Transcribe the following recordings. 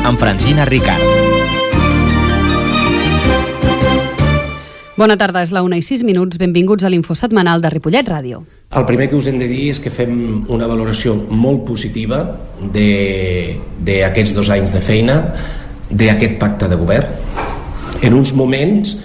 amb Francina Ricard. Bona tarda, és la 1:06. Benvinguts a l'Info Setmanal de Ripollet Ràdio. El primer que us hem de dir és que fem una valoració molt positiva d'aquests 2 anys de feina, d'aquest pacte de govern, en uns moments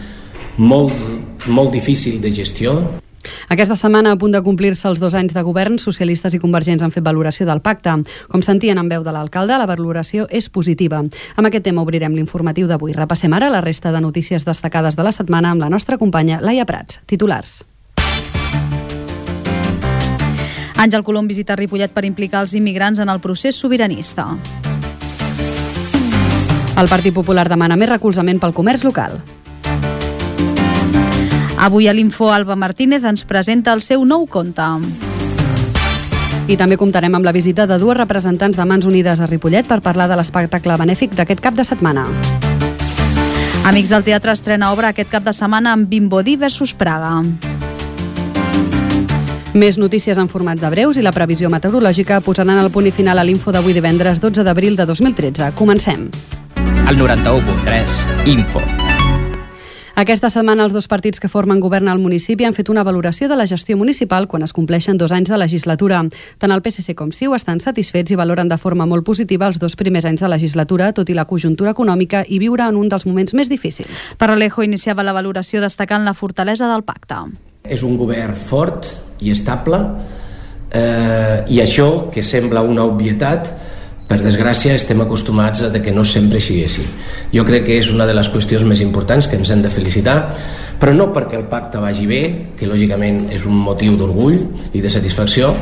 molt difícils de gestió. Aquesta setmana, a punt de complir-se els 2 anys de govern, socialistes i convergents han fet valoració del pacte. Com sentien en veu de l'alcalde, la valoració és positiva. Amb aquest tema obrirem l'informatiu d'avui. Repassem ara la resta de notícies destacades de la setmana amb la nostra companya Laia Prats. Titulars. Àngel Colom visita Ripollet per implicar els immigrants en el procés sobiranista. El Partit Popular demana més recolzament pel comerç local. Avui a l'Info, Alba Martínez ens presenta el seu nou conte. I també comptarem amb la visita de 2 representants de Mans Unides a Ripollet per parlar de l'espectacle benèfic d'aquest cap de setmana. Amics del Teatre estrena obra aquest cap de setmana amb Vimbodí versus Praga. Més notícies en format de breus i la previsió meteorològica posaran el punt i final a l'Info d'avui divendres 12 d'abril de 2013. Comencem. El 91.3, Info. Aquesta setmana els 2 partits que formen govern al municipi han fet una valoració de la gestió municipal quan es compleixen 2 anys de legislatura. Tant el PSC com CiU estan satisfets i valoren de forma molt positiva els 2 primers anys de legislatura, tot i la conjuntura econòmica i viure en un dels moments més difícils. Paralejo iniciava la valoració destacant la fortalesa del pacte. És un govern fort i estable, i això, que sembla una obvietat, per desgràcia estem acostumats a que no sempre sigui així. Jo crec que és una de les qüestions més importants que ens hem de felicitar, però no perquè el pacte vagi bé, que lògicament és un motiu d'orgull i de satisfacció,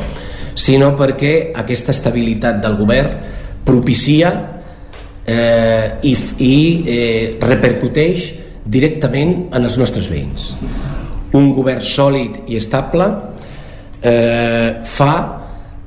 sinó perquè aquesta estabilitat del govern propicia i repercuteix directament en els nostres veïns. Un govern sòlid i estable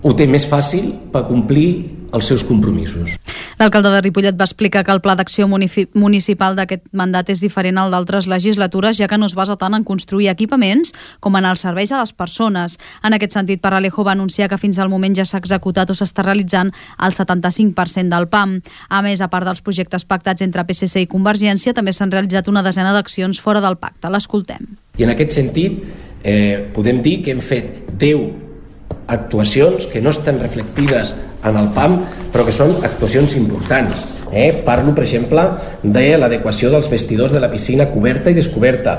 ho té més fàcil per complir els seus compromisos. L'alcalde de Ripollet va explicar que el pla d'acció municipal d'aquest mandat és diferent al d'altres legislatures, ja que no es basa tant en construir equipaments com en els serveis a les persones. En aquest sentit, Paralejo va anunciar que fins al moment ja s'ha executat o s'està realitzant el 75% del PAM. A més, a part dels projectes pactats entre PSC i Convergència, també s'han realitzat una desena d'accions fora del pacte. L'escoltem. I en aquest sentit, podem dir que hem fet 10 actuacions que no estan reflectides en el PAM, però que són actuacions importants. Parlo, per exemple, de l'adequació dels vestidors de la piscina coberta i descoberta.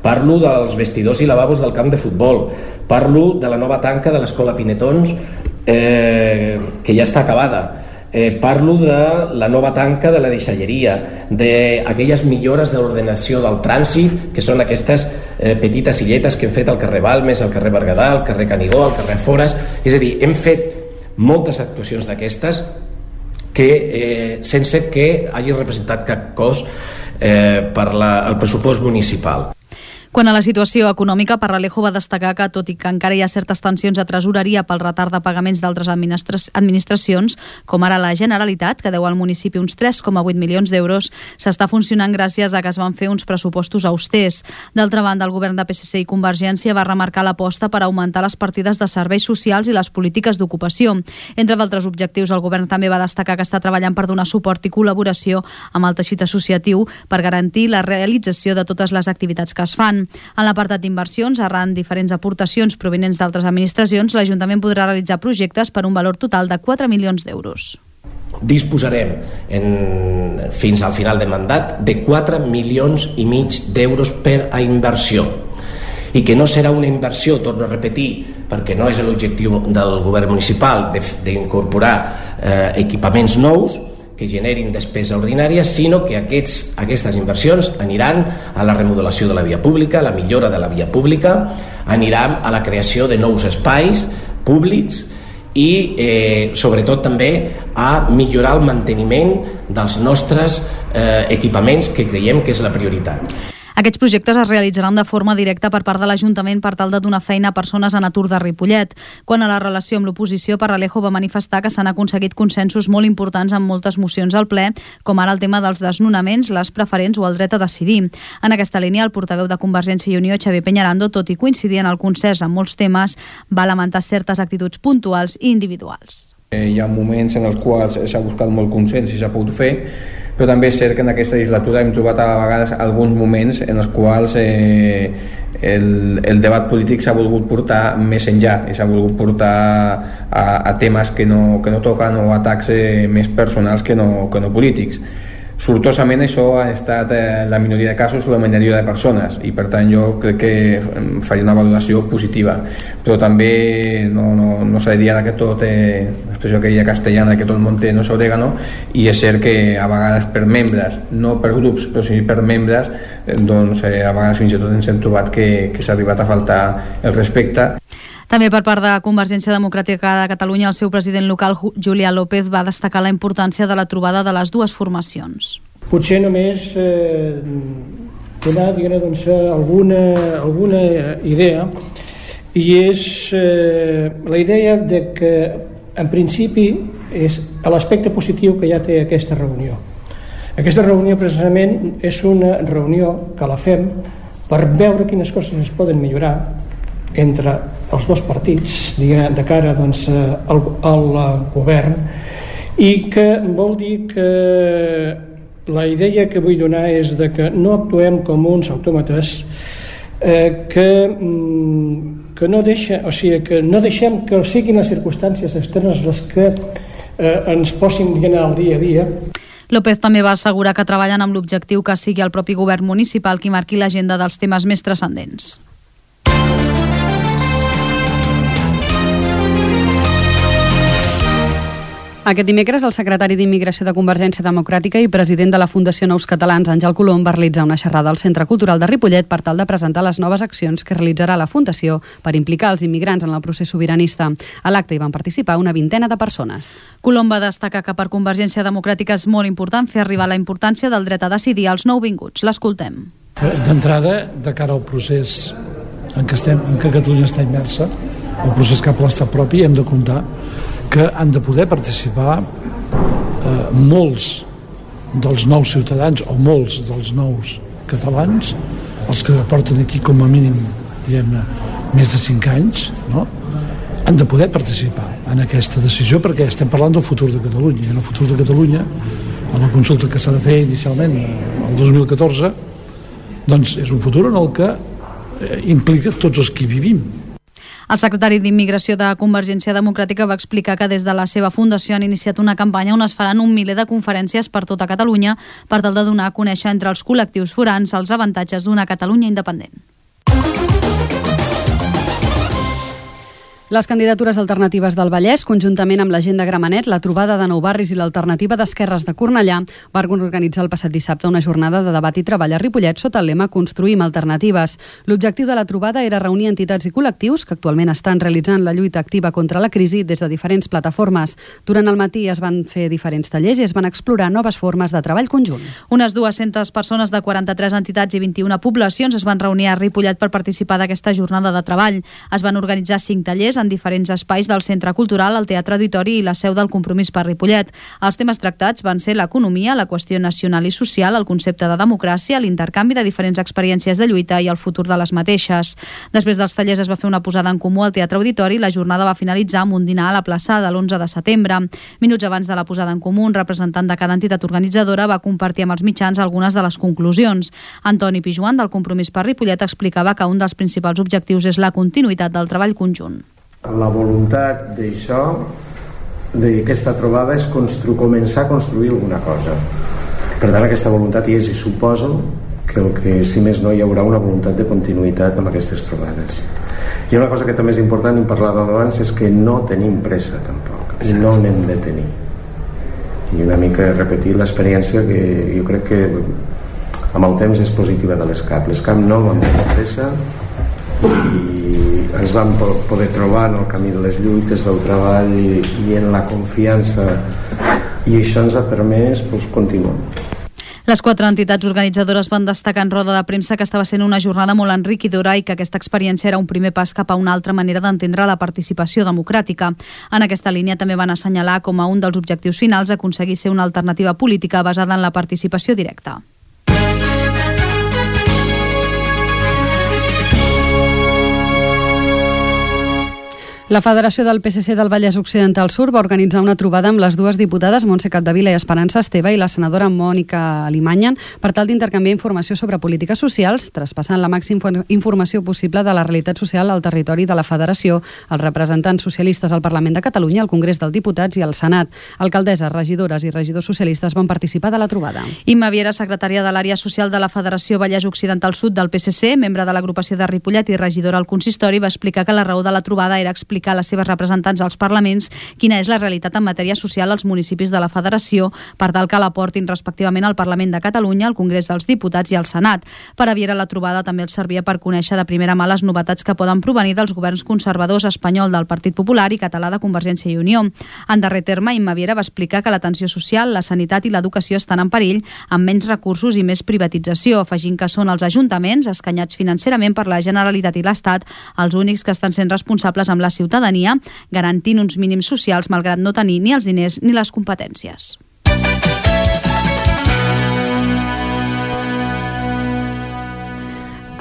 Parlo dels vestidors i lavabos del camp de futbol. Parlo de la nova tanca de l'Escola Pinetons, que ja està acabada. Parlo de la nova tanca de la deixalleria, d'aquelles millores de l'ordenació del trànsit, que són aquestes petites illetes que hem fet al carrer Balmes, al carrer Berguedà, al carrer Canigó, al carrer Fores. És a dir, hem fet moltes actuacions d'aquestes que sense que hagi representat cap cost per al pressupost municipal. Quant a la situació econòmica, Paralejo va destacar que, tot i que encara hi ha certes tensions a tresoreria pel retard de pagaments d'altres administracions, com ara la Generalitat, que deu al municipi uns 3,8 milions d'euros, s'està funcionant gràcies a que es van fer uns pressupostos austers. D'altra banda, el govern de PSC i Convergència va remarcar l'aposta per augmentar les partides de serveis socials i les polítiques d'ocupació. Entre d'altres objectius, el govern també va destacar que està treballant per donar suport i col·laboració amb el teixit associatiu per garantir la realització de totes les activitats que es fan. En l'apartat d'inversions, arran diferents aportacions provinents d'altres administracions, l'Ajuntament podrà realitzar projectes per un valor total de 4 milions d'euros. Disposarem fins al final de mandat de 4,5 milions d'euros per a inversió, i que no serà una inversió, torno a repetir, perquè no és l'objectiu del govern municipal d'incorporar equipaments nous que generin despesa ordinària, sinó que aquestes inversions aniran a la remodelació de la via pública, a la millora de la via pública, aniran a la creació de nous espais públics i sobretot també a millorar el manteniment dels nostres equipaments, que creiem que és la prioritat. Aquests projectes es realitzaran de forma directa per part de l'Ajuntament per tal de donar feina a persones en atur de Ripollet. Quant a la relació amb l'oposició, Paralejo va manifestar que s'han aconseguit consensos molt importants en moltes mocions al ple, com ara el tema dels desnonaments, les preferents o el dret a decidir. En aquesta línia, el portaveu de Convergència i Unió, Xavier Peñarando, tot i coincidir en el consens en molts temes, va lamentar certes actituds puntuals i individuals. Hi ha moments en els quals s'ha buscat molt consens i s'ha pogut fer, però també és cert que en aquesta legislatura hem trobat a vegades alguns moments en els quals el debat polític s'ha volgut portar més enllà i s'ha volgut portar a temes que no toquen o atacs més personals que no polítics. Sortosament això ha estat la minoria de casos la majoria de persones i per tant jo crec que faria una valoració positiva, però també no s'ha de dir ara que tot l'expressió aquella castellana que tot el món té no s'orégano, i és cert que a vegades per membres, no per grups però sí per membres, doncs a vegades fins i tot ens hem trobat que s'ha arribat a faltar el respecte. També per part de Convergència Democràtica de Catalunya, el seu president local, Julià López, va destacar la importància de la trobada de les dues formacions. Potser només donar doncs, alguna idea, i és la idea de que en principi és l'aspecte positiu que ja té aquesta reunió. Aquesta reunió precisament és una reunió que la fem per veure quines coses es poden millorar entre els dos partits de cara doncs, al govern, i que vol dir que la idea que vull donar és de que no actuem com uns autòmates que no deixem que siguin les circumstàncies externes les que ens posin al dia a dia. López també va assegurar que treballen amb l'objectiu que sigui el propi govern municipal qui marqui l'agenda dels temes més transcendents. Aquest dimecres, el secretari d'Immigració de Convergència Democràtica i president de la Fundació Nous Catalans, Àngel Colom, va realitzar una xerrada al Centre Cultural de Ripollet per tal de presentar les noves accions que realitzarà la Fundació per implicar els immigrants en el procés sobiranista. A l'acte hi van participar una vintena de persones. Colom va destacar que per Convergència Democràtica és molt important fer arribar la importància del dret a decidir als nouvinguts. L'escoltem. D'entrada, de cara al procés en què Catalunya està immersa, el procés cap a l'estat propi, hem de comptar que han de poder participar molts dels nous ciutadans o molts dels nous catalans, els que porten aquí com a mínim, diguem-ne, més de 5 anys, no? Han de poder participar en aquesta decisió perquè estem parlant del futur de Catalunya. I en el futur de Catalunya, en la consulta que s'ha de fer inicialment el 2014, doncs és un futur en el que implica tots els que vivim. El secretari d'Immigració de Convergència Democràtica va explicar que des de la seva fundació han iniciat una campanya on es faran 1 miler de conferències per tota Catalunya per tal de donar a conèixer entre els col·lectius forans els avantatges d'una Catalunya independent. Les candidatures alternatives del Vallès, conjuntament amb la gent de Gramenet, la trobada de Nou Barris i l'alternativa d'Esquerres de Cornellà, van organitzar el passat dissabte una jornada de debat i treball a Ripollet sota el lema Construïm alternatives. L'objectiu de la trobada era reunir entitats i col·lectius que actualment estan realitzant la lluita activa contra la crisi des de diferents plataformes. Durant el matí es van fer diferents tallers i es van explorar noves formes de treball conjunt. Unes 200 persones de 43 entitats i 21 poblacions es van reunir a Ripollet per participar d'aquesta jornada de treball. Es van organitzar 5 tallers en diferents espais del Centre Cultural, el Teatre Auditori i la seu del Compromís per Ripollet. Els temes tractats van ser l'economia, la qüestió nacional i social, el concepte de democràcia, l'intercanvi de diferents experiències de lluita i el futur de les mateixes. Després dels tallers es va fer una posada en comú al Teatre Auditori i la jornada va finalitzar amb un dinar a la plaça de l'11 de setembre. Minuts abans de la posada en comú, un representant de cada entitat organitzadora va compartir amb els mitjans algunes de les conclusions. Antoni Pijuan, del Compromís per Ripollet, explicava que un dels principals objectius és la continuïtat del treball conjunt. La voluntat d'això, d'aquesta trobada, és començar a construir alguna cosa. Per tant, aquesta voluntat hi és, i suposo que si més no hi haurà una voluntat de continuïtat amb aquestes trobades. Hi ha una cosa que també és important, i en parlàvem abans, és que no tenim pressa tampoc, i no n'hem de tenir. I una mica repetir l'experiència que jo crec que amb el temps és positiva de l'ESCAP. L'ESCAP no vam tenir pressa i ens vam poder trobar en el camí de les lluites, del treball i en la confiança, i això ens ha permès continuar. Les 4 entitats organitzadores van destacar en roda de premsa que estava sent una jornada molt enriquidora i que aquesta experiència era un primer pas cap a una altra manera d'entendre la participació democràtica. En aquesta línia també van assenyalar com a un dels objectius finals aconseguir ser una alternativa política basada en la participació directa. La Federació del PSC del Vallès Occidental Sur va organitzar una trobada amb les dues diputades Montse Capdevila i Esperança Esteve i la senadora Mònica Alimanyan per tal d'intercanviar informació sobre polítiques socials, traspassant la màxima informació possible de la realitat social al territori de la Federació, els representants socialistes al Parlament de Catalunya, al Congrés dels Diputats i al Senat. Alcaldesses, regidores i regidors socialistes van participar de la trobada. Imma Viera, secretària de l'àrea social de la Federació Vallès Occidental Sud del PSC, membre de l'agrupació de Ripollet i regidora al consistori, va explicar que la raó de la trobada era explicar a les seves representants als parlaments quina és la realitat en matèria social als municipis de la Federació per tal que l'aportin respectivament al Parlament de Catalunya, al Congrés dels Diputats i al Senat. Per a Viera, la trobada també els servia per conèixer de primera mà les novetats que poden provenir dels governs conservadors espanyol del Partit Popular i català de Convergència i Unió. En darrer terme, Imma Viera va explicar que l'atenció social, la sanitat i l'educació estan en perill amb menys recursos i més privatització, afegint que són els ajuntaments, escanyats financerament per la Generalitat i l'Estat, els únics que estan sent responsables amb la ciutadania, garantint uns mínims socials malgrat no tenir ni els diners ni les competències.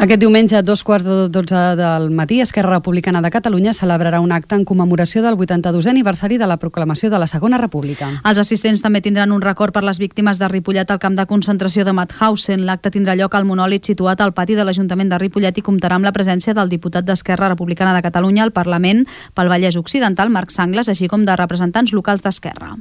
Aquest diumenge, a 2:15 del matí, Esquerra Republicana de Catalunya celebrarà un acte en commemoració del 82è aniversari de la proclamació de la Segona República. Els assistents també tindran un record per les víctimes de Ripollet al camp de concentració de Mauthausen. L'acte tindrà lloc al monòlit situat al pati de l'Ajuntament de Ripollet i comptarà amb la presència del diputat d'Esquerra Republicana de Catalunya al Parlament pel Vallès Occidental, Marc Sangles, així com de representants locals d'Esquerra.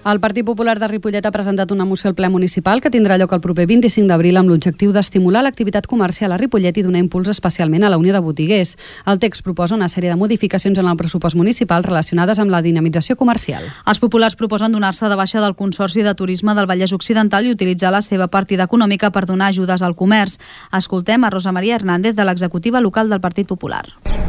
El Partit Popular de Ripollet ha presentat una moció al ple municipal que tindrà lloc el proper 25 d'abril amb l'objectiu d'estimular l'activitat comercial a Ripollet i donar impuls especialment a la Unió de Botiguers. El text proposa una sèrie de modificacions en el pressupost municipal relacionades amb la dinamització comercial. Els populars proposen donar-se de baixa del Consorci de Turisme del Vallès Occidental i utilitzar la seva partida econòmica per donar ajudes al comerç. Escoltem a Rosa Maria Hernández de l'executiva local del Partit Popular.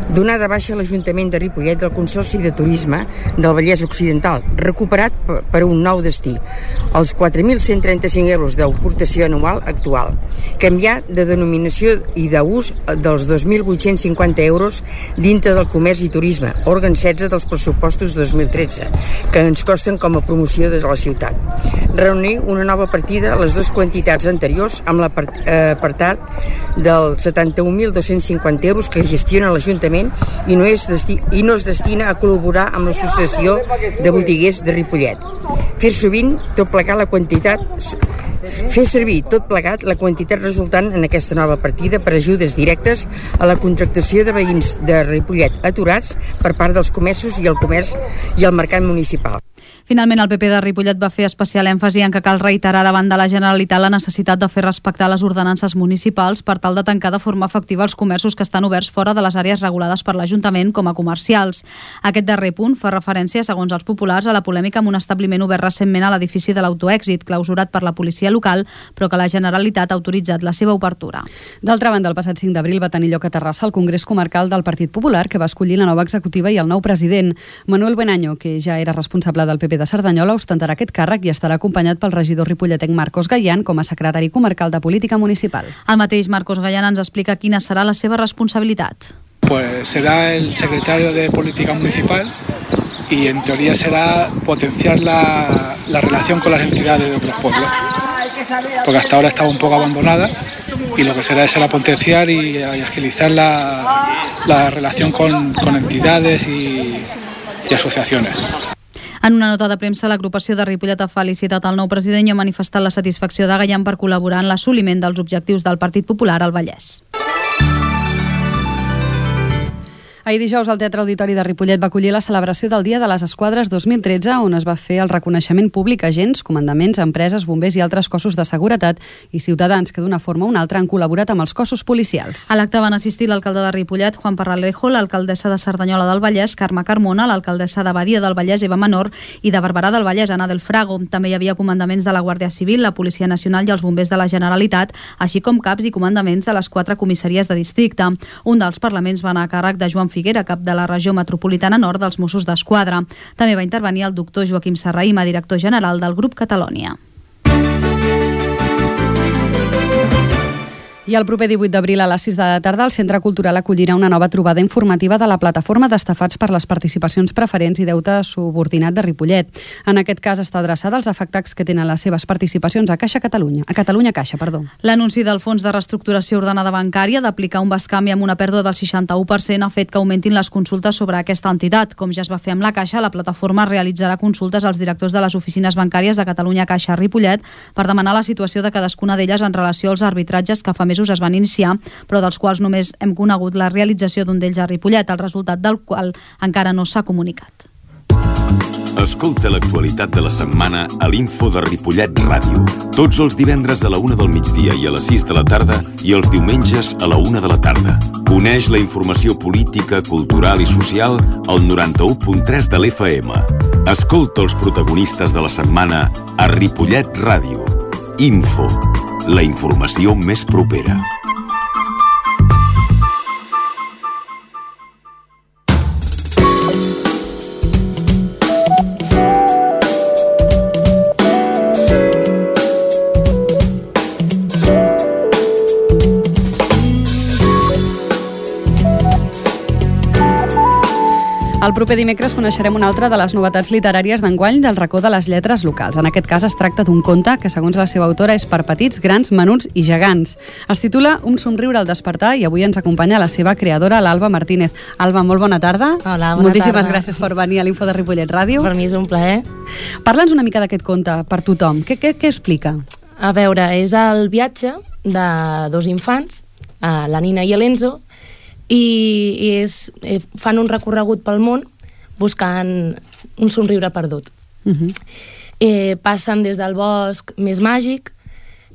Donar de baixa l'Ajuntament de Ripollet del Consorci de Turisme del Vallès Occidental, recuperat per un nou destí, els 4.135 euros d'aportació anual actual. Canviar de denominació i d'ús dels 2.850 euros dintre del comerç i turisme, òrgan 16 dels pressupostos 2013, que ens costen com a promoció de la ciutat. Reunir una nova partida a les dues quantitats anteriors amb l'apartat dels 71.250 euros que gestiona l'Ajuntament i no es destina a col·laborar amb l'Associació de Botiguers de Ripollet. Fer servir tot plegat la quantitat resultant en aquesta nova partida per ajudes directes a la contractació de veïns de Ripollet aturats per part dels comerços i el comerç i el mercat municipal. Finalment, el PP de Ripollet va fer especial èmfasi en que cal reiterar davant de la Generalitat la necessitat de fer respectar les ordenances municipals per tal de tancar de forma efectiva els comerços que estan oberts fora de les àrees regulades per l'Ajuntament com a comercials. Aquest darrer punt fa referència, segons els populars, a la polèmica amb un establiment obert recentment a l'edifici de l'Autoèxit, clausurat per la policia local, però que la Generalitat ha autoritzat la seva obertura. D'altra banda, el passat 5 d'abril va tenir lloc a Terrassa el Congrés Comarcal del Partit Popular, que va escollir la nova executiva i el nou president. Manuel Benaño, que ja era responsable del PP de Cerdanyola, ostentarà aquest càrrec i estarà acompanyat pel regidor ripolletenc Marcos Gallán com a secretari comarcal de Política Municipal. El mateix Marcos Gallán ens explica quina serà la seva responsabilitat. Pues será el secretario de Política Municipal y en teoría será potenciar la relación con las entidades de otros pueblos, porque hasta ahora estaba un poco abandonada y lo que será potenciar y agilizar la relación con entidades y asociaciones. En una nota de premsa, l'agrupació de Ripollet ha felicitat el nou president i ha manifestat la satisfacció de Gallán per col·laborar en l'assoliment dels objectius del Partit Popular al Vallès. Ahir dijous, el Teatre Auditori de Ripollet va acollir la celebració del Dia de les Esquadres 2013, on es va fer el reconeixement públic a agents, comandaments, empreses, bombers i altres cossos de seguretat i ciutadans que d'una forma o una altra han col·laborat amb els cossos policials. A l'acte van assistir l'alcalde de Ripollet, Juan Parralejo, l'alcaldessa de Cerdanyola del Vallès, Carme Carmona, l'alcaldessa de Badia del Vallès, Eva Menor, i de Barberà del Vallès, Ana del Frago. També hi havia comandaments de la Guàrdia Civil, la Policia Nacional i els bombers de la Generalitat, així com caps i comandaments de les 4 comissaries de districte. Un dels parlaments va anar a càrrec de Joan Figuera, cap de la regió metropolitana nord dels Mossos d'Esquadra. També va intervenir el doctor Joaquim Serrahima, director general del grup Catalònia. I el proper 18 d'abril a les 6 de la tarda el Centre Cultural acollirà una nova trobada informativa de la plataforma d'estafats per les participacions preferents i deute subordinat de Ripollet. En aquest cas està adreçada als afectats que tenen les seves participacions a Catalunya Caixa. L'anunci del Fons de Reestructuració Ordenada Bancària d'aplicar un bescanvi amb una pèrdua del 61% ha fet que augmentin les consultes sobre aquesta entitat. Com ja es va fer amb la Caixa, la plataforma realitzarà consultes als directors de les oficines bancàries de Catalunya Caixa a Ripollet per demanar la situació de cadascuna d'elles en relació als arbitratges que fa mesos es van iniciar, però dels quals només hem conegut la realització d'un d'ells a Ripollet, el resultat del qual encara no s'ha comunicat. Escolta l'actualitat de la setmana a l'Info de Ripollet Ràdio. Tots els divendres a la 1 del migdia i a les 6 de la tarda i els diumenges a la 1 de la tarda. Coneix la informació política, cultural i social al 91.3 de l'FM. Escolta els protagonistes de la setmana a Ripollet Ràdio. Info, la informació més propera. El proper dimecres coneixerem una altra de les novetats literàries d'enguany del racó de les lletres locals. En aquest cas es tracta d'un conte que, segons la seva autora, és per petits, grans, menuts i gegants. Es titula Un somriure al despertar i avui ens acompanya la seva creadora, l'Alba Martínez. Alba, molt bona tarda. Hola, bona Moltíssimes tarda. gràcies per venir a l'Info de Ripollet Ràdio. Per mi és un plaer. Parla'ns una mica d'aquest conte per tothom. Què explica? A veure, és el viatge de dos infants, la Nina i l'Enzo, i fan un recorregut pel món buscant un somriure perdut. Passen des del bosc més màgic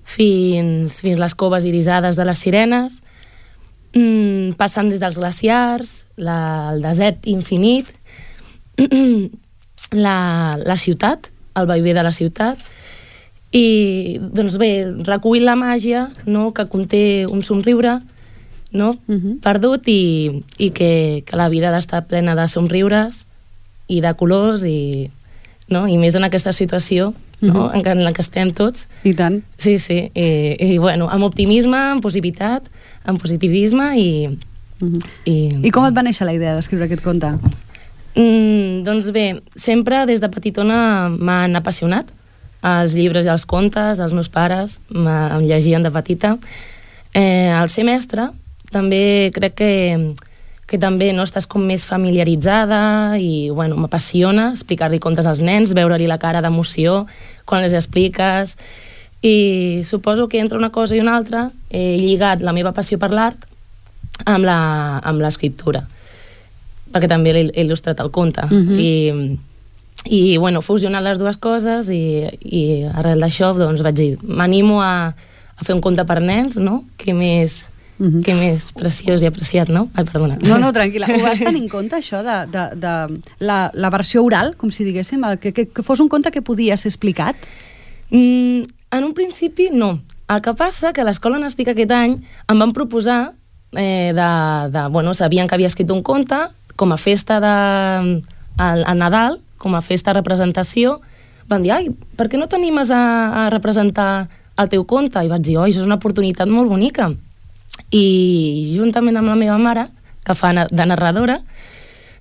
fins les coves irisades de les sirenes, passen des dels glaciars, el desert infinit, la ciutat, el vaivé de la ciutat, i doncs bé, recull la màgia, no?, que conté un somriure, no?, perdut, i que la vida ha d'estar plena de somriures i de colors, i més en aquesta situació, no?, en la que estem tots. I tant. Sí, i bueno, amb optimisme, amb positivitat, amb positivisme i... I com et va néixer la idea d'escriure aquest conte? Doncs bé, sempre des de petitona m'han apassionat els llibres i els contes, els meus pares em llegien de petita. Al ser mestra també crec que també no estàs com més familiaritzada i bueno, m'apassiona explicar-li contes als nens, veure-li la cara d'emoció quan les expliques, i suposo que entre una cosa i una altra he lligat la meva passió per l'art amb l'escriptura, perquè també l'he il·lustrat el conte, i bueno, fusionant les dues coses, i arrel d'això doncs vaig dir, m'animo a fer un conte per nens, no? Què més preciós i apreciat, no? Ai, perdona. No, tranquil·la. Ho vas tenir en compte, això, de la versió oral, com si diguéssim, que fos un conte que podia ser explicat? En un principi, no. El que passa que a l'escola on estic aquest any em van proposar bueno, sabien que havia escrit un conte com a festa a Nadal, com a festa de representació, van dir, ai, per què no t'animes a representar el teu conte? I vaig dir, això és una oportunitat molt bonica. I juntament amb la meva mare, que fa de narradora,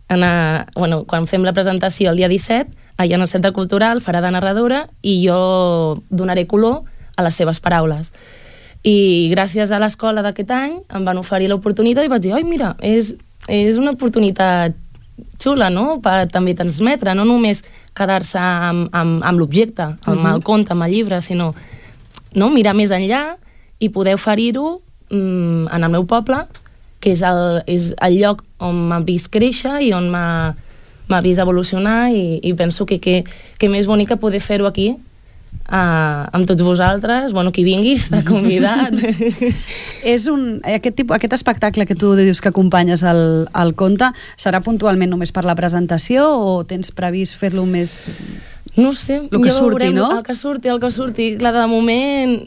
quan fem la presentació el dia 17, allà en el Centre Cultural farà de narradora i jo donaré color a les seves paraules. I gràcies a l'escola d'aquest any em van oferir l'oportunitat i vaig dir, mira, és una oportunitat xula, no?, per també transmetre, no només quedar-se amb l'objecte, amb el conte, amb el llibre, sinó mirar més enllà i poder oferir-ho en el meu poble, que és el lloc on m'ha vist créixer i on m'ha vist evolucionar, i penso que més bonic que poder fer-ho aquí amb tots vosaltres, bueno, qui vingui està convidat. Aquest espectacle que tu dius que acompanyes el conte serà puntualment només per la presentació o tens previst fer-lo més... No sé, el que surti, no? El que surti. Clar, de moment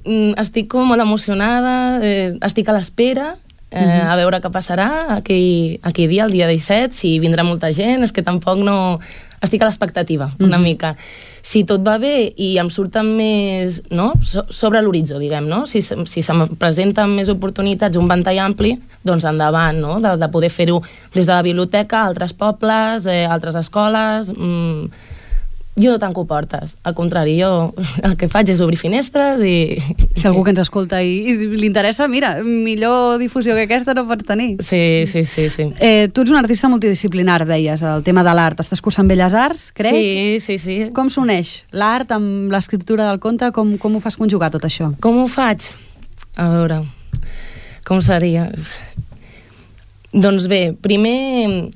estic com molt emocionada, estic a l'espera, a veure què passarà aquell dia, el dia 17, si vindrà molta gent, és que tampoc no... estic a l'expectativa, una mica. Si tot va bé i em surten més, no?, sobre l'horitzó, diguem, no? Si se'm presenten més oportunitats, un ventall ampli, doncs endavant, no?, de poder fer-ho des de la biblioteca, altres pobles, altres escoles... Jo no tanco portes, al contrari, jo el que faig és obrir finestres i... Si algú que ens escolta i li interessa, mira, millor difusió que aquesta no pots tenir. Sí. Tu ets un artista multidisciplinar, deies, el tema de l'art. Estàs cursant Belles Arts, crec? Sí. Com s'uneix l'art amb l'escriptura del conte? Com ho fas conjugar tot això? Com ho faig? A veure, com seria? Doncs bé, primer,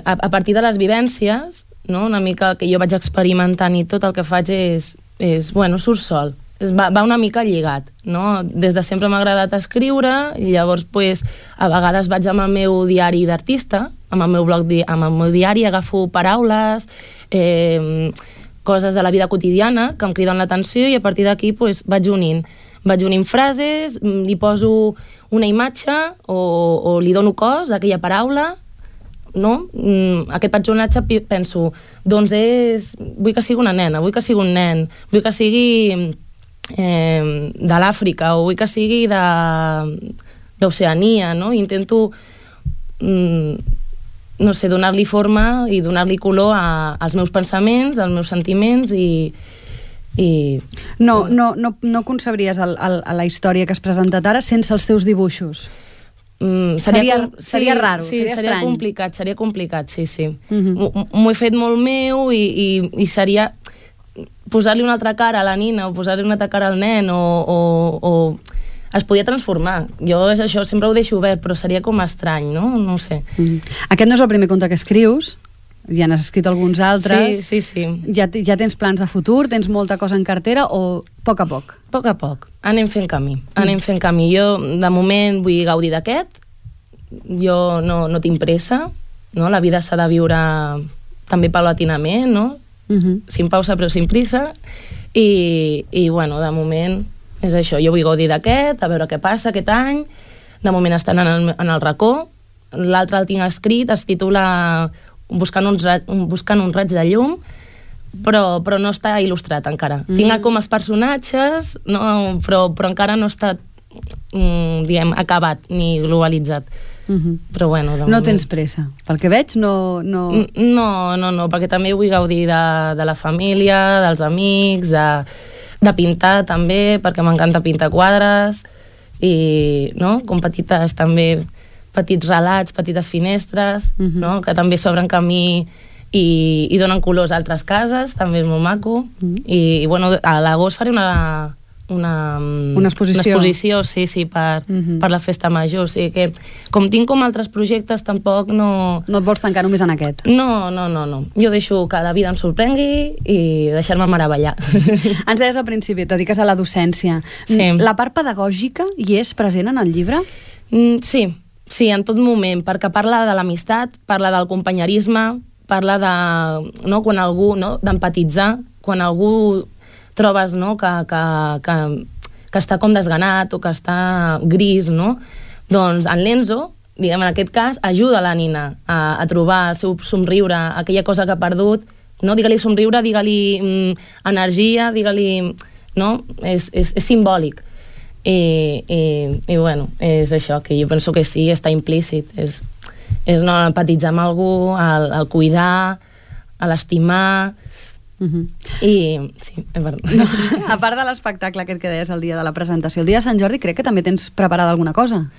a partir de les vivències, no? Una mica el que jo vaig experimentant i tot el que faig és bueno, surt sol. Va una mica lligat, no? Des de sempre m'ha agradat escriure i llavors, pues, a vegades vaig amb el meu diari d'artista, amb el meu blog, amb el meu diari, agafo paraules, coses de la vida quotidiana que em criden l'atenció i a partir d'aquí, pues, vaig unint frases, li poso una imatge o li dono cos a aquella paraula, no? Aquest personatge penso, doncs vull que sigui una nena, vull que sigui un nen, vull que sigui de l'Àfrica o vull que sigui d'Oceania, no? Intento no sé, donar-li forma i donar-li color als meus pensaments, als meus sentiments i... No concebries la història que has presentat ara sense els teus dibuixos? Seria raro, sí, seria complicat, sí. M'ho he fet molt meu i seria posar-li una altra cara a la nina o posar-li una altra cara al nen o es podia transformar. Jo això sempre ho deixo obert, però seria com estrany, no? No ho sé. Aquest no és el primer conte que escrius, ja n'has escrit alguns altres. Sí. Ja tens plans de futur, tens molta cosa en cartera o a poc a poc? A poc a poc. Anem fent camí. Jo, de moment, vull gaudir d'aquest. Jo no tinc pressa, no? La vida s'ha de viure també paulatinament, no? Sin pausa però sin prisa. I bueno, de moment és això. Jo vull gaudir d'aquest, a veure què passa aquest any. De moment estan en el racó. L'altre el tinc escrit, es titula Buscant un raig de llum, però no està il·lustrat encara. Tinc com els personatges, no, però encara no està diguem, acabat ni globalitzat. Però bueno, no tens pressa. Pel que veig, no... No, perquè també vull gaudir de la família, dels amics, de pintar també, perquè m'encanta pintar quadres, i no, com petites també... petits relats, petites finestres, no? Que també s'obren camí i donen colors a altres cases, també és molt maco. I bueno, a l'agost faré una exposició, sí, per la festa major. O sigui que, com tinc com altres projectes, tampoc no... No et vols tancar només en aquest? No. Jo deixo que la vida em sorprengui i deixar-me meravellar. Ens deies al principi, et dediques a la docència. Sí. La part pedagògica hi és present en el llibre? Sí, en tot moment, perquè parla de l'amistat, parla del companyerisme, parla de, no, quan algú, no, d'empatitzar, quan algú trobes, no, que està com desganat o que està gris, no? Doncs en l'Enzo, diguem, en aquest cas, ajuda la nina a trobar el seu somriure, aquella cosa que ha perdut, no? Digue-li somriure, digue-li energia, digue-li... No? És simbòlic. I bueno, és això, que jo penso que sí, està implícit, és no empatitzar amb algú, el cuidar, l'estimar, i sí, és veritat. A part de l'espectacle aquest que deies el dia de la presentació, el dia de Sant Jordi crec que també tens preparada alguna cosa.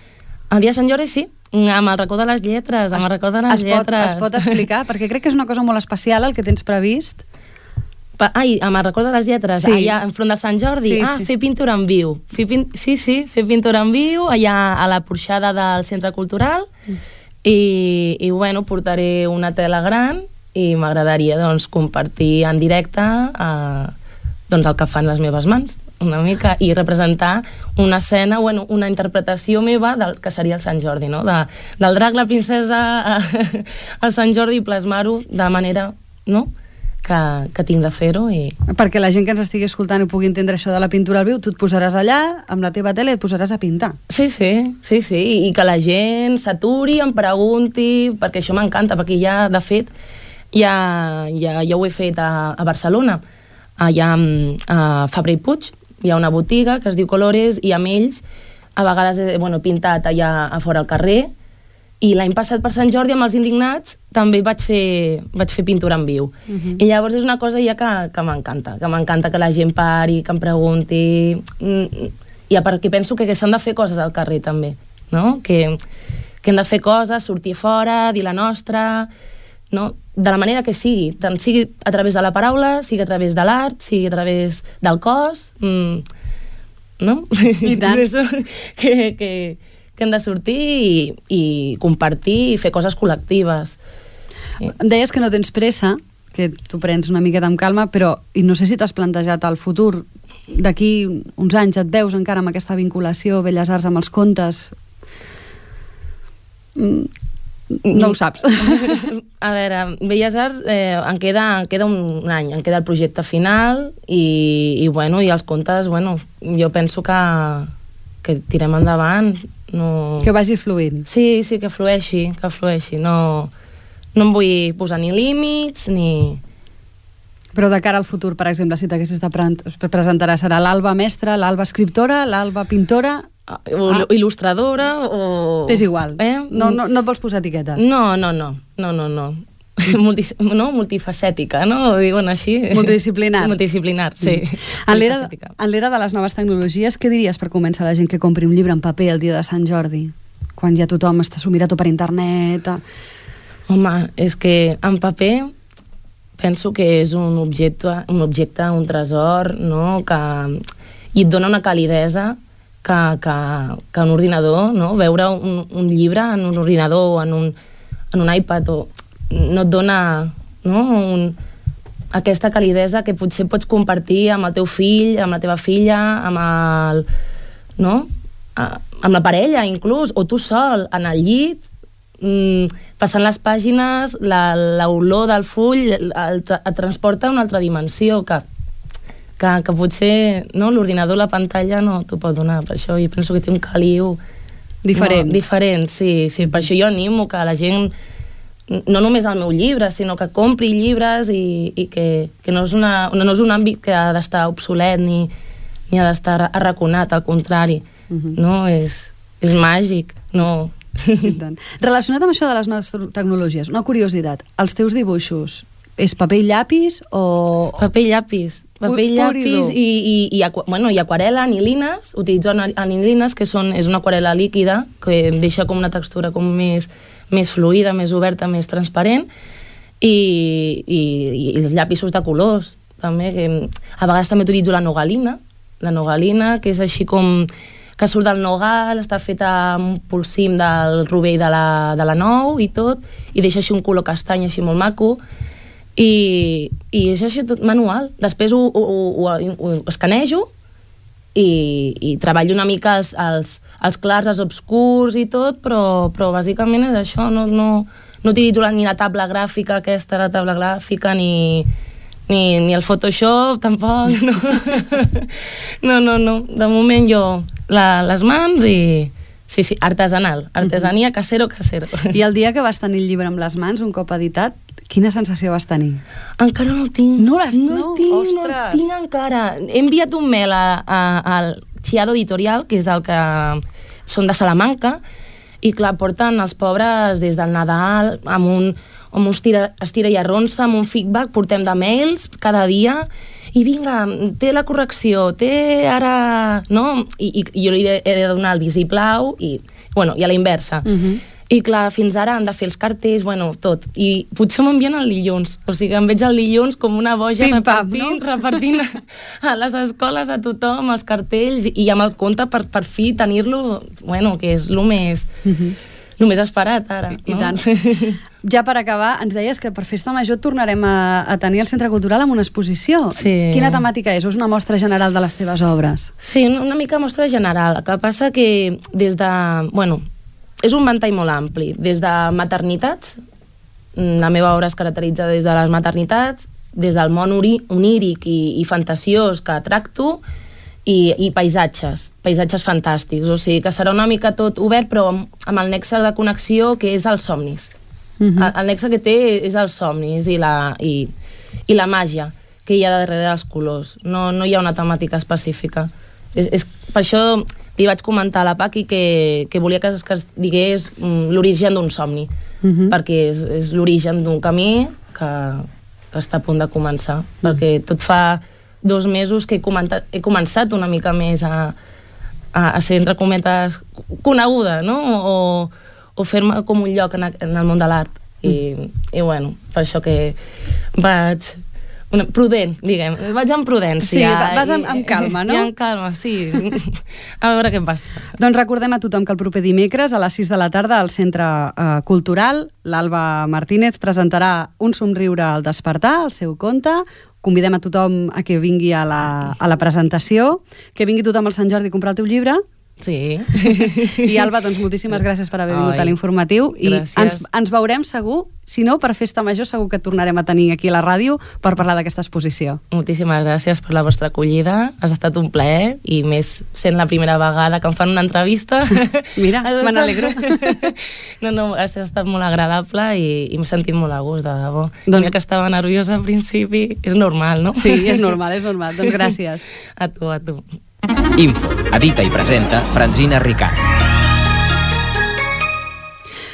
El dia de Sant Jordi sí, amb el racó de les lletres, Es pot explicar? Perquè crec que és una cosa molt especial el que tens previst. Amb el record de les lletres, sí. Allà enfront de Sant Jordi, sí. Fer pintura en viu. Fer pintura en viu, allà a la porxada del Centre Cultural, i bueno, portaré una tela gran i m'agradaria doncs, compartir en directe doncs, el que fan les meves mans, una mica, i representar una escena, bueno, una interpretació meva del que seria el Sant Jordi, no? Del drac, la princesa, al Sant Jordi, i plasmar-ho de manera, no?, que tinc de fer-ho. Perquè la gent que ens estigui escoltant ho pugui entendre això de la pintura al viu, tu et posaràs allà amb la teva tele i et posaràs a pintar. Sí, i que la gent s'aturi, em pregunti, perquè això m'encanta, perquè ja, de fet, ja ho he fet a Barcelona, allà a Fabra i Puig, hi ha una botiga que es diu Colores, i amb ells a vegades he pintat allà a fora al carrer, i l'any passat per Sant Jordi amb els Indignats també vaig fer pintura en viu. I llavors és una cosa ja que m'encanta que la gent pari, que em pregunti, i perquè penso que s'han de fer coses al carrer també, no? Que hem de fer coses, sortir fora, dir la nostra, no? De la manera que sigui, tant sigui a través de la paraula, sigui a través de l'art, sigui a través del cos, no? I tant. que hem de sortir i compartir i fer coses col·lectives. Deies que no tens pressa, que tu prens una miqueta amb calma, però i no sé si t'has plantejat el futur, d'aquí uns anys et veus encara amb aquesta vinculació Belles Arts amb els contes? No ho saps. A veure, Belles Arts em queda un any, em queda el projecte final i els contes, jo penso que tirem endavant. Que vagi fluint. Sí, que flueixi. No em vull posar ni límits, ni... Però de cara al futur, per exemple, si t'haguessis de presentar, serà l'Alba mestra, l'Alba escriptora, l'Alba pintora... il·lustradora o... És igual, no et vols posar etiquetes? No. Multifacètica, no? Ho diuen així. Multidisciplinar. Multidisciplinar, sí. En l'era de les noves tecnologies, què diries per convèncer la gent que compri un llibre en paper el dia de Sant Jordi? Quan ja tothom s'ho mira tot per internet... Home, és que en paper penso que és un objecte, un tresor, no? I et dona una calidesa que un ordinador, no? Veure un llibre en un ordinador o en un iPad no et dona, no? Aquesta calidesa que potser pots compartir amb el teu fill, amb la teva filla, amb la parella inclús, o tu sol, en el llit, passant les pàgines, l'olor del full et transporta a una altra dimensió que potser l'ordinador, la pantalla no t'ho pot donar. Per això jo penso que té un caliu diferent, sí. Per això jo animo que la gent, no només el meu llibre, sinó que compri llibres i que no és un àmbit que ha d'estar obsolet ni ha d'estar arraconat, al contrari. No? És màgic, no... Relacionat amb això de les noves tecnologies, una curiositat, els teus dibuixos és paper i llapis o... Paper i llapis i aquarel·la, anilines, utilitzo anilines, que és una aquarel·la líquida que deixa com una textura com més fluida, més oberta, més transparent, i els llapisos de colors també, que a vegades també utilitzo la nogalina, que és així com que surt del nogal, està feta amb un polsim del rovell de la nou i tot, i deixa així un color castany així molt maco, i és així tot manual. Després ho escanejo i treballo una mica els clars, els obscurs i tot, però bàsicament és això, no utilitzo ni la taula gràfica aquesta, ni el Photoshop, tampoc, no. De moment jo les mans i... Sí, artesania, casero. I el dia que vas tenir el llibre amb les mans, un cop editat, quina sensació vas tenir? Encara no el tinc. No el tinc encara. He enviat un mail al Chiado Editorial, que és el que són de Salamanca, i clar, porten els pobres des del Nadal amb un estira i arronsa, amb un feedback, portem de mails cada dia, i vinga, té la correcció, té ara... No? I jo li he de donar el visiplau i a la inversa. I clar, fins ara han de fer els cartells, tot. I potser m'envien el dilluns. O sigui, em veig el dilluns com una boja repartint a les escoles, a tothom, els cartells, i amb el conte per fi tenir-lo, que és el més esperat ara. I tant. Ja per acabar, ens deies que per Festa Major tornarem a tenir el Centre Cultural amb una exposició. Sí. Quina temàtica és? O és una mostra general de les teves obres? Sí, una mica mostra general. El que passa que des de... és un ventall molt ampli. Des de maternitats, la meva obra es caracteritza des de les maternitats, des del món oníric i fantasiós que tracto, i paisatges fantàstics. O sigui, que serà una mica tot obert, però amb el nexe de connexió que és els somnis. El nexe que té és els somnis i la màgia que hi ha darrere dels colors. No hi ha una temàtica específica. Per això li vaig comentar a la Paqui que volia que es digués l'origen d'un somni, perquè és l'origen d'un camí que està a punt de començar, perquè tot fa 2 mesos que he començat una mica més a ser, entre cometes, coneguda, no? O fer-me com un lloc en el món de l'art. I bueno, per això que vaig... prudent, diguem. Vaig amb prudència. Sí, vas amb calma, no? I amb calma, sí. A veure què passa. Doncs recordem a tothom que el proper dimecres a les 6 de la tarda al Centre Cultural l'Alba Martínez presentarà Un somriure al despertar, el seu conte. Convidem a tothom a que vingui a la presentació, que vingui tothom al Sant Jordi a comprar el teu llibre. Sí. I Alba, doncs moltíssimes gràcies per haver vingut a l'Informatiu. I ens veurem segur, si no, per Festa Major segur que tornarem a tenir aquí a la ràdio per parlar d'aquesta exposició. Moltíssimes gràcies per la vostra acollida. Has estat un plaer, i més sent la primera vegada que em fan una entrevista. Mira, me n'alegro. No, ha estat molt agradable i m'he sentit molt a gust, de debò. Mira que estava nerviosa al principi. És normal, no? Sí, és normal. Doncs gràcies. A tu. Info, edita i presenta Francina Ricard.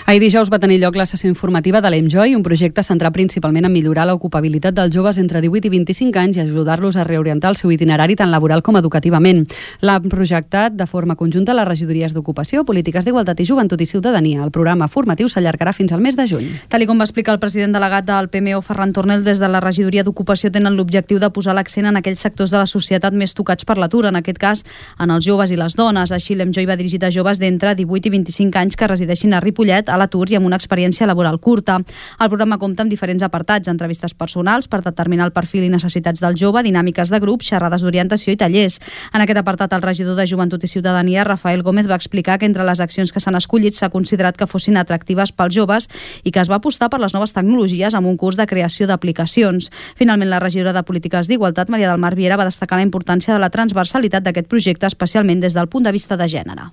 Ahir dijous va tenir lloc la sessió informativa de l'Enjoy, un projecte centrat principalment en millorar l'ocupabilitat dels joves entre 18 i 25 anys i ajudar-los a reorientar el seu itinerari tant laboral com educativament. L'han projectat de forma conjunta les regidories d'Ocupació, Polítiques d'Igualtat i Joventut i Ciutadania. El programa formatiu s'allargarà fins al mes de juny. Tal com va explicar el president delegat del PMO, Ferran Tornel, des de la regidoria d'Ocupació tenen l'objectiu de posar l'accent en aquells sectors de la societat més tocats per l'atur, en aquest cas en els joves i les dones. Així, l'Enjoy va dirigit a joves d'entre 18 i 25 anys que resideixin a Ripollet, a l'atur i amb una experiència laboral curta. El programa compta amb diferents apartats, entrevistes personals per determinar el perfil i necessitats del jove, dinàmiques de grup, xerrades d'orientació i tallers. En aquest apartat, el regidor de Joventut i Ciutadania, Rafael Gómez, va explicar que entre les accions que s'han escollit s'ha considerat que fossin atractives pels joves i que es va apostar per les noves tecnologies amb un curs de creació d'aplicacions. Finalment, la regidora de Polítiques d'Igualtat, Maria del Mar Viera, va destacar la importància de la transversalitat d'aquest projecte, especialment des del punt de vista de gènere.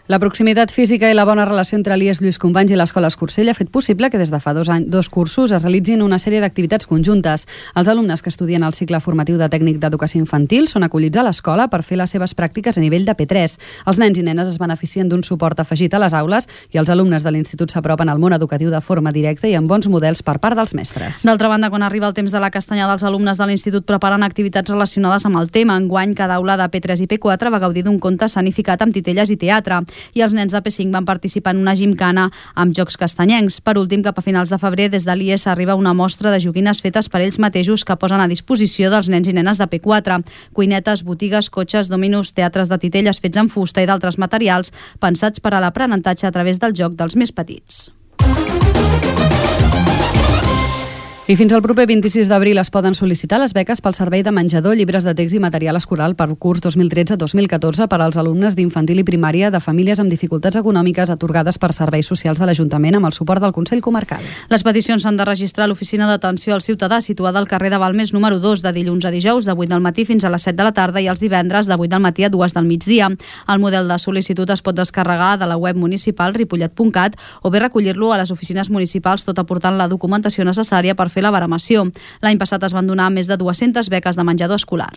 La proximitat física i la bona relació entre l'IES Lluís Companys i l'Escola Escursell ha fet possible que des de fa 2 cursos es realitzin una sèrie d'activitats conjuntes. Els alumnes que estudien el cicle formatiu de tècnic d'educació infantil són acollits a l'escola per fer les seves pràctiques a nivell de P3. Els nens i nenes es beneficien d'un suport afegit a les aules i els alumnes de l'institut s'apropen al món educatiu de forma directa i amb bons models per part dels mestres. D'altra banda, quan arriba el temps de la castanyada, els alumnes de l'institut preparen activitats relacionades amb el tema. Enguany, cada aula de P3 i P4 va gaudir d'un conte escenificat amb titelles i teatre. I els nens de P5 van participar en una gimcana amb jocs castanyencs. Per últim, cap a finals de febrer, des de l'IES arriba una mostra de joguines fetes per ells mateixos que posen a disposició dels nens i nenes de P4. Cuinetes, botigues, cotxes, dominos, teatres de titelles fets en fusta i d'altres materials pensats per a l'aprenentatge a través del joc dels més petits. I fins al proper 26 d'abril es poden sol·licitar les beques pel servei de menjador, llibres de text i material escolar per curs 2013-2014 per als alumnes d'infantil i primària de famílies amb dificultats econòmiques atorgades per serveis socials de l'Ajuntament amb el suport del Consell Comarcal. Les peticions s'han de registrar a l'oficina d'atenció al ciutadà situada al carrer de Balmes número 2 de dilluns a dijous de 8 del matí fins a les 7 de la tarda i els divendres de 8 del matí a 2 del migdia. El model de sol·licitud es pot descarregar de la web municipal ripollet.cat o bé recollir-lo a les oficines municipals tot aportant la documentació necessària per fer la baremació. L'any passat es van donar més de 200 beques de menjador escolar.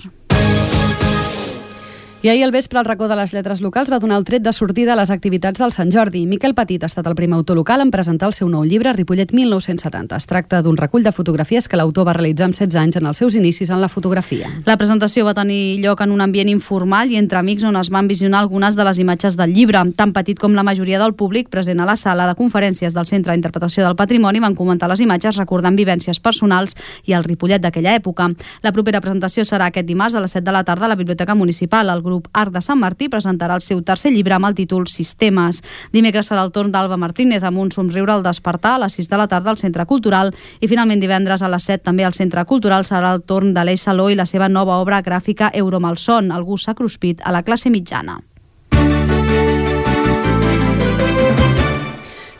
I ahir al vespre el racó de les lletres locals va donar el tret de sortida a les activitats del Sant Jordi. Miquel Petit ha estat el primer autor local en presentar el seu nou llibre Ripollet 1970. Es tracta d'un recull de fotografies que l'autor va realitzar amb 16 anys en els seus inicis en la fotografia. La presentació va tenir lloc en un ambient informal i entre amics on es van visionar algunes de les imatges del llibre. Tan petit com la majoria del públic present a la sala de conferències del Centre d'Interpretació del Patrimoni van comentar les imatges recordant vivències personals i el Ripollet d'aquella època. La propera presentació serà aquest dimarts a les 7 de la tarda a la Biblioteca Municipal. El grup Art de Sant Martí presentarà el seu tercer llibre amb el títol Sistemes. Dimecres serà el torn d'Alba Martínez amb un somriure al despertar a les 6 de la tarda al Centre Cultural i finalment divendres a les 7 també al Centre Cultural serà el torn d'Aleix Saló i la seva nova obra gràfica Euromalson, Algú s'ha cruspit a la classe mitjana.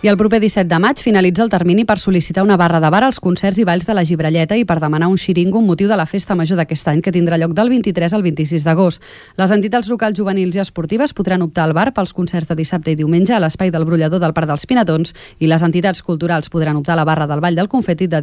I el proper 17 de maig finalitza el termini per sol·licitar una barra de bar als concerts i balls de la Gibralleta i per demanar un xiringo amb motiu de la festa major d'aquest any, que tindrà lloc del 23 al 26 d'agost. Les entitats locals juvenils i esportives podran optar al bar pels concerts de dissabte i diumenge a l'Espai del Brollador del Parc dels Pinatons i les entitats culturals podran optar a la barra del Ball del Confeti de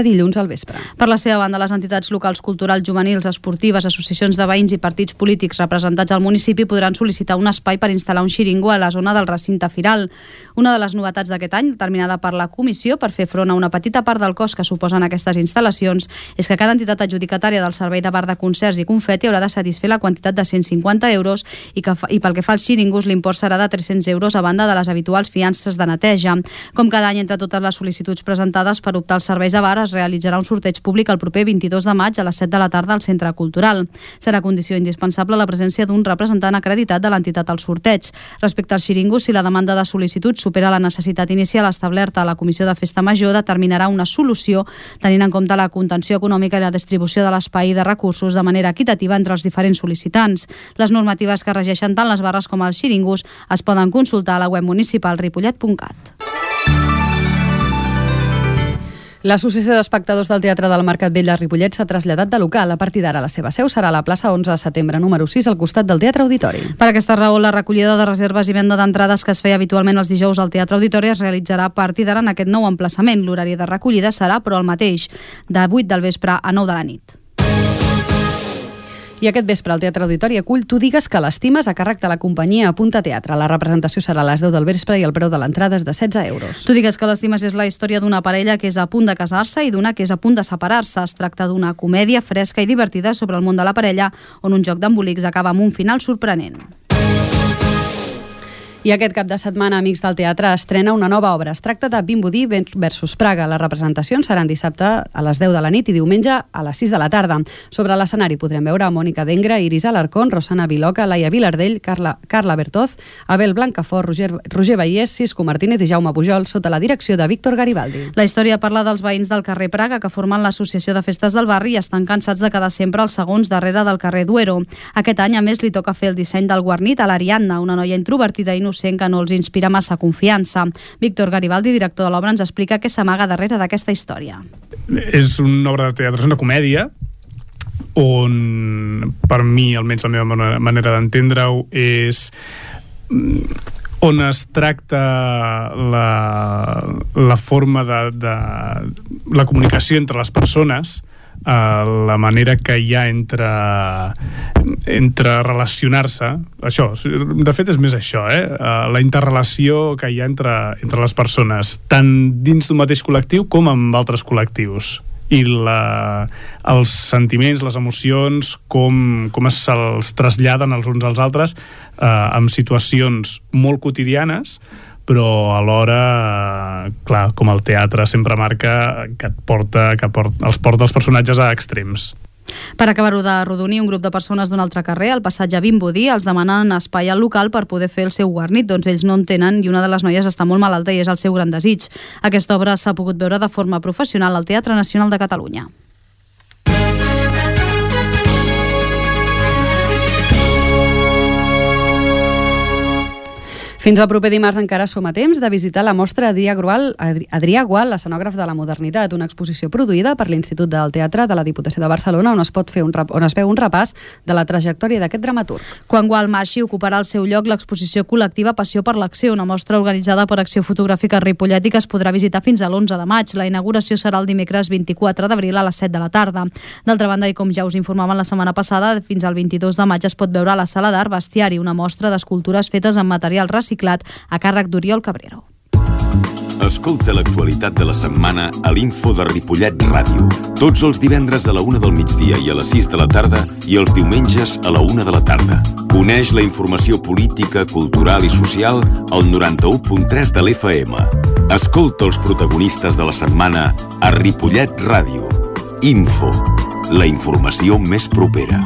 dilluns al vespre. Per la seva banda, les entitats locals culturals, juvenils, esportives, associacions de veïns i partits polítics representats al municipi podran sol·licitar un espai per instal·lar un xiringo a la zona del recinte firal. Una de les novetats d'aquest any, determinada per la comissió per fer front a una petita part del cost que suposen aquestes instal·lacions, és que cada entitat adjudicatària del servei de bar de concerts i confeti haurà de satisfer la quantitat de 150 euros i pel que fa als xiringos l'import serà de 300 euros a banda de les habituals fiances de neteja. Com cada any, entre totes les sol·licituds presentades per optar als serveis de bar, es realitzarà un sorteig públic el proper 22 de maig a les 7 de la tarda al Centre Cultural. Serà condició indispensable la presència d'un representant acreditat de l'entitat al sorteig. Respecte als xiringos, si la demanda de sol·licitud supera la necessitat inicial establerta a la Comissió de Festa Major, determinarà una solució tenint en compte la contenció econòmica i la distribució de l'espai i de recursos de manera equitativa entre els diferents sol·licitants. Les normatives que regeixen tant les barres com els xiringos es poden consultar a la web municipal ripollet.cat. L'Associació d'Espectadors del Teatre del Mercat Vell de Ripollet s'ha traslladat de local. A partir d'ara la seva seu serà a la plaça 11 de setembre, número 6, al costat del Teatre Auditori. Per aquesta raó, la recollida de reserves i venda d'entrades que es feia habitualment els dijous al Teatre Auditori es realitzarà a partir d'ara en aquest nou emplaçament. L'horari de recollida serà, però, el mateix, de 8 del vespre a 9 de la nit. I aquest vespre al Teatre Auditori acull Tu digues que l'estimes, a càrrec de la companyia Apunta Teatre. La representació serà a les 10 del vespre i el preu de l'entrada és de 16 euros. Tu digues que l'estimes és la història d'una parella que és a punt de casar-se i d'una que és a punt de separar-se. Es tracta d'una comèdia fresca i divertida sobre el món de la parella, on un joc d'embolics acaba amb un final sorprenent. I aquest cap de setmana, Amics del Teatre estrena una nova obra. Es tracta de Vimbodí versus Praga. Les representacions seran dissabte a les 10 de la nit i diumenge a les 6 de la tarda. Sobre l'escenari podrem veure a Mònica Dengra, Iris Alarcón, Rosana Viloca, Laia Vilardell, Carla Bertoz, Abel Blancafort, Roger Vallès, Cisco Martínez i Jaume Pujol, sota la direcció de Víctor Garibaldi. La història parla dels veïns del carrer Praga que formen l'associació de festes del barri i estan cansats de quedar sempre els segons darrere del carrer Duero. Aquest any, a més, li toca fer el disseny del guarnit a l'Ariadna, una noia introvertida i innocent que no els inspira massa confiança. Víctor Garibaldi, director de l'obra, ens explica què s'amaga darrere d'aquesta història. És una obra de teatre, és una comèdia on, per mi, almenys la meva manera d'entendre-ho, és on es tracta la forma de la comunicació entre les persones, la manera que hi ha entre relacionar-se. Això, de fet és més això, la interrelació que hi ha entre les persones, tant dins d'un mateix col·lectiu com amb altres col·lectius, i els sentiments, les emocions, com se'ls traslladen els uns als altres en situacions molt quotidianes, però alhora, clar, com el teatre sempre marca, que els porta els personatges a extrems. Per acabar-ho de rodonir, un grup de persones d'un altre carrer, al passatge Vimbodí, els demanen espai al local per poder fer el seu guarnit, doncs ells no en tenen i una de les noies està molt malalta i és el seu gran desig. Aquesta obra s'ha pogut veure de forma professional al Teatre Nacional de Catalunya. Fins al proper dimarts encara som a temps de visitar la mostra Adrià Gual, l'escenògraf de la modernitat, una exposició produïda per l'Institut del Teatre de la Diputació de Barcelona, on es veu un repàs de la trajectòria d'aquest dramaturg. Quan Gual marxi, ocuparà el seu lloc l'exposició col·lectiva Passió per l'Acció, una mostra organitzada per Acció Fotogràfica Ripollet i que es podrà visitar fins a l'11 de maig. La inauguració serà el dimecres 24 d'abril a les 7 de la tarda. D'altra banda, i com ja us informaven la setmana passada, fins al 22 de maig es pot veure a la Sala d'Art Bestiari, una mostra d'escultures fetes amb material reciclat a càrrec d'Oriol Cabrero. Escolta l'actualitat de la setmana a l'Info de Ripollet Ràdio. Tots els divendres a la 1 del migdia i a les 6 de la tarda i els diumenges a la 1 de la tarda. Coneix la informació política, cultural i social al 91.3 de l'FM. Escolta els protagonistes de la setmana a Ripollet Ràdio. Info, la informació més propera.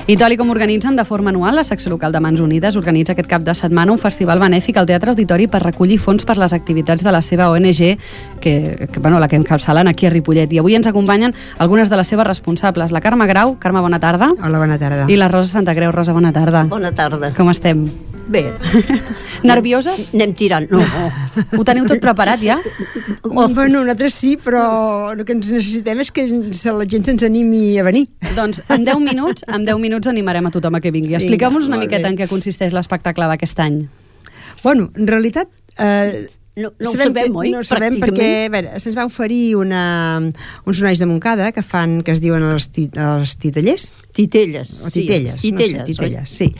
I tal com organitzen de forma anual, la secció local de Mans Unides organitza aquest cap de setmana un festival benèfic al Teatre Auditori per recollir fons per les activitats de la seva ONG, la que encapçalen aquí a Ripollet. I avui ens acompanyen algunes de les seves responsables. La Carme Grau. Carme, bona tarda. Hola, bona tarda. I la Rosa Santacreu. Rosa, bona tarda. Bona tarda. Com estem? Bé. Nervioses? Anem tirant. No. Ho teniu tot preparat ja? Bueno, nosaltres sí, però el que ens necessitem és que la gent se'ns animi a venir. Doncs en 10 minuts animarem a tothom a que vingui. Expliqueu-nos una miqueta en què consisteix l'espectacle d'aquest any. Bueno, en realitat... No ho sabem, oi? No ho sabem perquè, a veure, se'ns va oferir uns nois de Montcada que es diuen els titellers. Titelles. O titelles, sí, titelles, sí.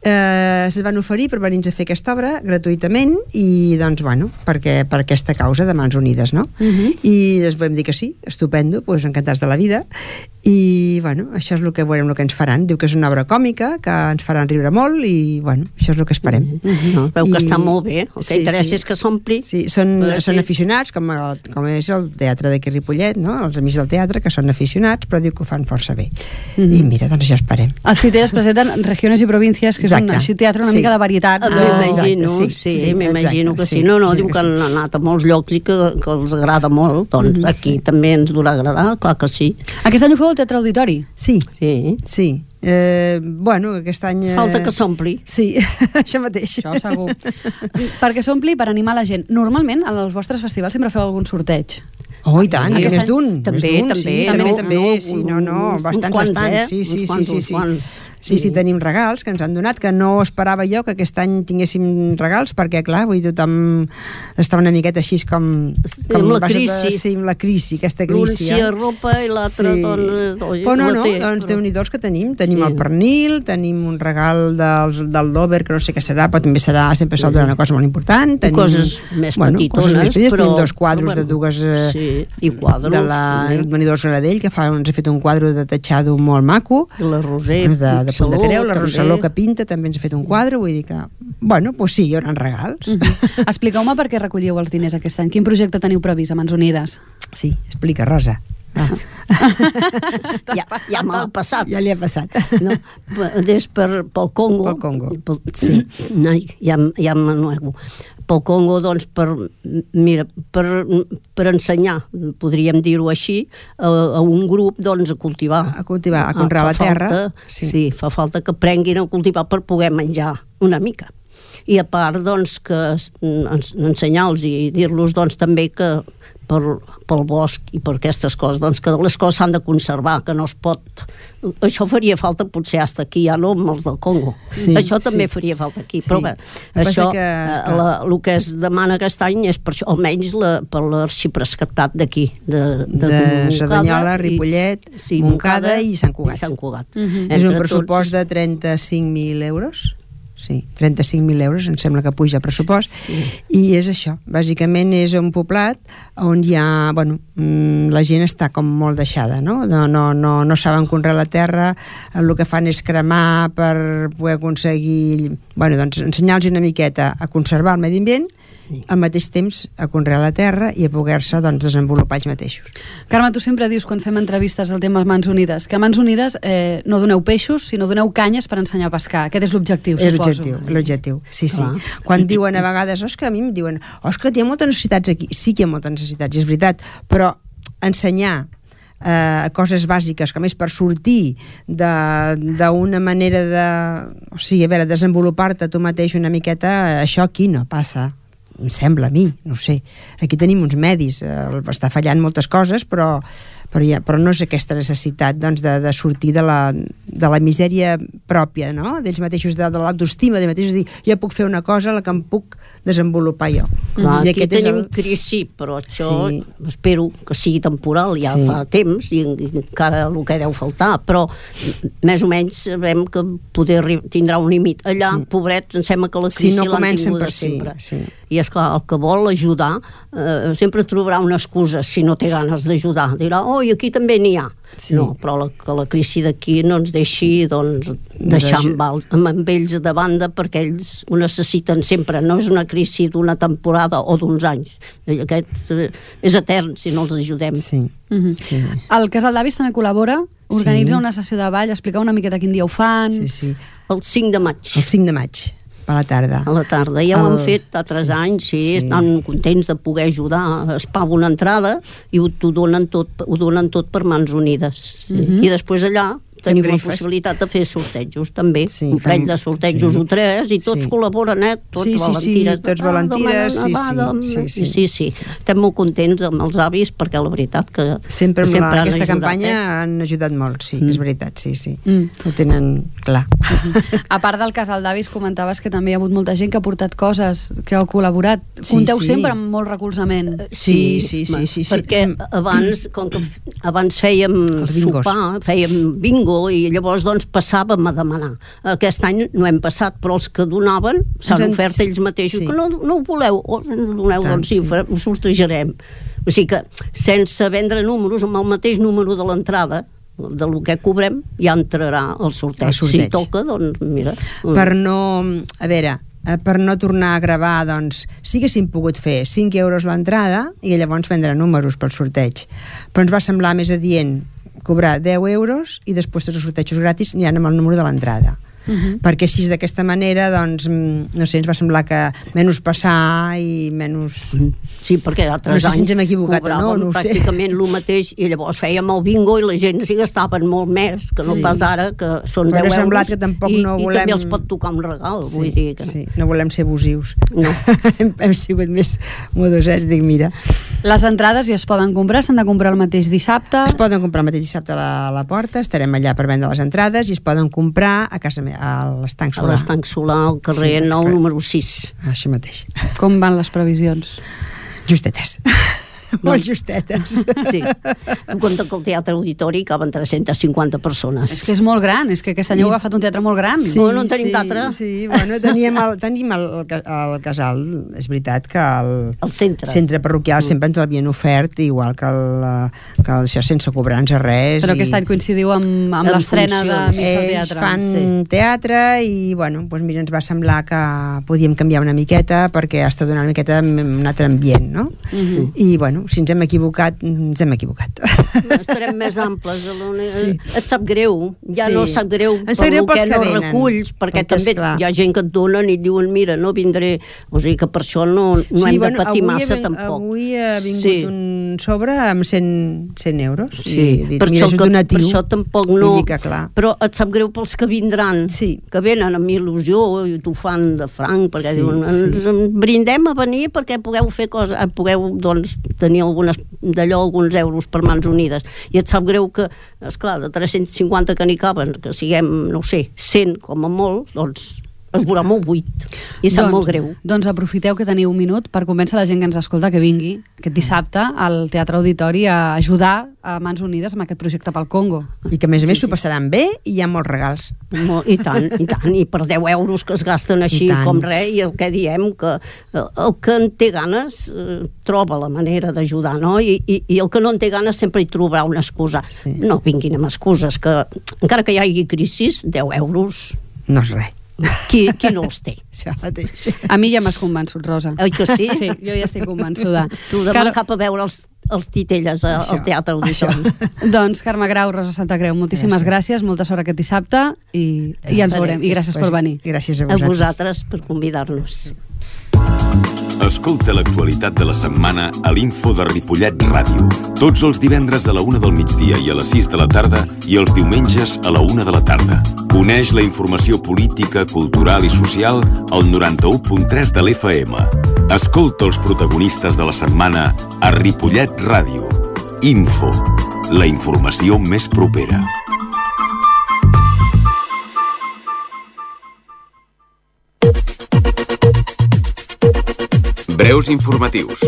Se'ns van oferir per venir a fer aquesta obra gratuïtament i, doncs, bueno, per aquesta causa de Mans Unides, no? I ens vam dir que sí, estupendo, doncs encantats de la vida. I, bueno, això és el que veurem, el que ens faran. Diu que és una obra còmica, que ens faran riure molt i, bueno, això és el que esperem. Veu que està molt bé. El que interessa és que s'ompli. Sí, són aficionats, com és el teatre d'aquí a Ripollet, no? Els amics del teatre, que són aficionats, però diu que ho fan força bé. I mira, doncs ja esperem. Els titelles presenten regiones i províncies, que és un teatre una mica de varietat. M'imagino que sí. No, diu que han anat a molts llocs i que els agrada molt. Doncs aquí també ens durà agradar, clar que sí. Aquest any ho feu al Teatre Auditori? Sí. Bueno, aquest any... Falta que s'ompli. Sí, això mateix. Això segur. Perquè s'ompli per animar la gent. Normalment, als vostres festivals sempre feu algun sorteig. Oh, i tant, més d'un. També. Sí, bastants. Sí, tenim regals que ens han donat, que no esperava jo que aquest any tinguéssim regals, perquè, clar, tothom està una miqueta així com amb la crisi. Sí, amb la crisi, aquesta crisi. L'un sí a ropa i l'altre... Però no, doncs Déu-n'hi-do que tenim. Tenim el pernil, tenim un regal del Dover, que no sé què serà, però també serà, sempre sol donar una cosa molt important. Coses més petitones, però... Tenim 2 quadros de dues... I quadros. De la venidors Granadell, que ens ha fet un quadre de tatxado molt maco. La Roser, de Punt de Creu, la Rosaló que pinta també ens ha fet un quadre, vull dir que, bueno, doncs sí, hi haurà regals. Expliqueu-me per què recolliu els diners aquest any. Quin projecte teniu previst a Mans Unides? Sí, explica, Rosa. Ja m'ha passat. Ja li ha passat. Des pel Congo. Pel Congo, sí. Ja m'anuego. Pel Congo, doncs, per ensenyar, podríem dir-ho així, a un grup, doncs, a cultivar. A conrear la terra. Sí, fa falta que aprenguin a cultivar per poder menjar una mica. I a part, doncs, que ensenyar-los i dir-los, doncs, també que pel bosc i per aquestes coses, doncs que les coses s'han de conservar, que no es pot... Això faria falta potser fins aquí, ja no amb els del Congo. Això també faria falta aquí, però bé, això, el que es demana aquest any és per això, almenys per l'arxiprescatat d'aquí, de Cerdanyola, Ripollet, Montcada i Sant Cugat. És un pressupost de 35.000 euros. Sí, 35.000 euros, em sembla que puja el pressupost, i és això, bàsicament és un poblat on hi ha, bueno, la gent està com molt deixada, no saben conrear la terra, el que fan és cremar per poder aconseguir, bueno, doncs ensenyar-los una miqueta a conservar el medi ambient, al mateix temps a conrear la terra i a poder-se, doncs, desenvolupar ells mateixos. Carme, tu sempre dius quan fem entrevistes del tema Mans Unides que a Mans Unides no doneu peixos, sinó doneu canyes per ensenyar a pescar. Aquest és l'objectiu, suposo. És l'objectiu, sí. Quan diuen a vegades, que a mi em diuen que hi ha moltes necessitats aquí. Sí que hi ha moltes necessitats, és veritat, però ensenyar coses bàsiques com és per sortir d'una manera de... O sigui, a veure, desenvolupar-te tu mateix una miqueta, això aquí no passa. Em sembla a mi, no sé. Aquí tenim uns medis, està fallant moltes coses, però no és aquesta necessitat, doncs, de sortir de la misèria pròpia, no? D'ells mateixos, de l'autoestima d'ells mateixos, dir, jo puc fer una cosa la que em puc desenvolupar jo. Aquí tenim crisi, però això espero que sigui temporal, ja fa temps i encara el que deu faltar, però més o menys sabem que poder tindrà un límit. Allà, pobrets, em sembla que la crisi l'han tinguda sempre. I esclar, el que vol ajudar sempre trobarà una excusa si no té ganes d'ajudar. Dirà, i aquí també n'hi ha. No, però que la crisi d'aquí no ens deixi, doncs, deixar amb ells de banda, perquè ells ho necessiten sempre. No és una crisi d'una temporada o d'uns anys. Aquest és etern si no els ajudem. El Casal d'Avis també col·labora organitza una sessió de ball, explicar una miqueta quin dia ho fan. Sí. El 5 de maig. El 5 de maig, a la tarda. A la tarda, ja ho han fet altres anys, estan contents de poder ajudar, es paga una entrada i t'ho donen tot per Mans Unides. I després allà tenim la possibilitat de fer sortejos també, un parell de sortejos o 3 i tots col·laboren, tots volantires. Sí, estem molt contents amb els avis perquè la veritat que sempre amb aquesta campanya han ajudat molt, sí, és veritat, sí. Ho tenen clar. A part del casal d'avis, comentaves que també hi ha hagut molta gent que ha portat coses, que ha col·laborat. Compteu sempre amb molt recolzament. Sí. Perquè abans fèiem sopar, fèiem bingo i llavors doncs passàvem a demanar. Aquest any no hem passat, però els que donaven s'han ofert ells mateixos que no ho voleu, o doneu, doncs sí, ho sortejarem. O sigui que sense vendre números, amb el mateix número de l'entrada del que cobrem ja entrarà el sorteig. Si toca, doncs mira. Per no tornar a gravar, doncs sí que haguéssim pogut fer 5 euros l'entrada i llavors vendre números pel sorteig, però ens va semblar més adient cobrar 10 euros i després tots els sortejos gratis aniran amb el número de l'entrada. Perquè així d'aquesta manera doncs, no sé, ens va semblar que menys passar i menys... Sí, perquè altres anys cobràvem pràcticament el mateix i llavors fèiem el bingo i la gent s'hi gastaven molt més que no pas ara, que són 10 euros que tampoc no volem... i també els pot tocar un regal, vull dir que... Sí, no volem ser abusius. No. Hem sigut més modosets, dic, mira. Les entrades ja es poden comprar, s'han de comprar el mateix dissabte? Es poden comprar el mateix dissabte a la porta, estarem allà per vendre les entrades i es poden comprar a casa meva, a l'Estanc Solà. A l'Estanc Solà, al carrer 9, número 6. Això mateix. Com van les previsions? Justetes. Molt justetes. Sí. En compte que el Teatre Auditori caben 350 persones. És que és molt gran, és que aquest any heu agafat un teatre molt gran. Sí, no en tenim d'altre. Sí, bueno, tenim el casal, és veritat que el centre parroquial sempre ens l'havien ofert, igual que això sense cobrar-nos res. Però aquest any coincidiu amb l'estrena de Mig del Teatre. Ells fan teatre i, bueno, doncs mira, ens va semblar que podíem canviar una miqueta perquè està donant una miqueta un altre ambient, no? I, bueno, si ens hem equivocat, ens hem equivocat. Estarem més amples. Et sap greu, no sap greu per el que no reculls, perquè també hi ha gent que et donen i et diuen, mira, no vindré. O sigui que per això no hem de patir massa tampoc. Avui ha vingut un sobre amb 100 euros. Sí, per això tampoc no... Però et sap greu pels que vindran, que venen amb il·lusió i t'ho fan de franc, perquè diuen, ens brindem a venir perquè pugueu fer coses, pugueu, doncs, tenir alguns euros per Mans Unides, i et sap greu que, esclar, de 350 que n'hi caben, que siguem, no sé, 100 com a molt, doncs es veurà molt buit, i sap molt greu. Doncs aprofiteu que teniu un minut per convèncer la gent que ens escolta que vingui aquest dissabte al Teatre Auditori a ajudar a Mans Unides amb aquest projecte pel Congo. I que a més s'ho passaran bé i hi ha molts regals. I tant, i per 10 euros que es gasten així com res, i el que diem, que el que en té ganes troba la manera d'ajudar, no? I el que no en té ganes sempre hi trobarà una excusa. No vinguin amb excuses, que encara que hi hagi crisis, 10 euros... No és res. Qui no els té? A mi ja m'has convençut, Rosa. Oi que sí? Sí, jo ja estic convençuda. Tu demà cap a veure els titelles al Teatre Auditori. Doncs Carme Grau, Rosa Santa Creu, moltíssimes gràcies, molta sort aquest dissabte i ens veurem, i gràcies per venir. Gràcies a vosaltres per convidar-nos. Escolta l'actualitat de la setmana a l'Info de Ripollet Ràdio. Tots els divendres a la 1 del migdia i a les 6 de la tarda i els diumenges a la 1 de la tarda. Coneix la informació política, cultural i social al 91.3 de l'FM. Escolta els protagonistes de la setmana a Ripollet Ràdio. Info, la informació més propera. Breus informatius.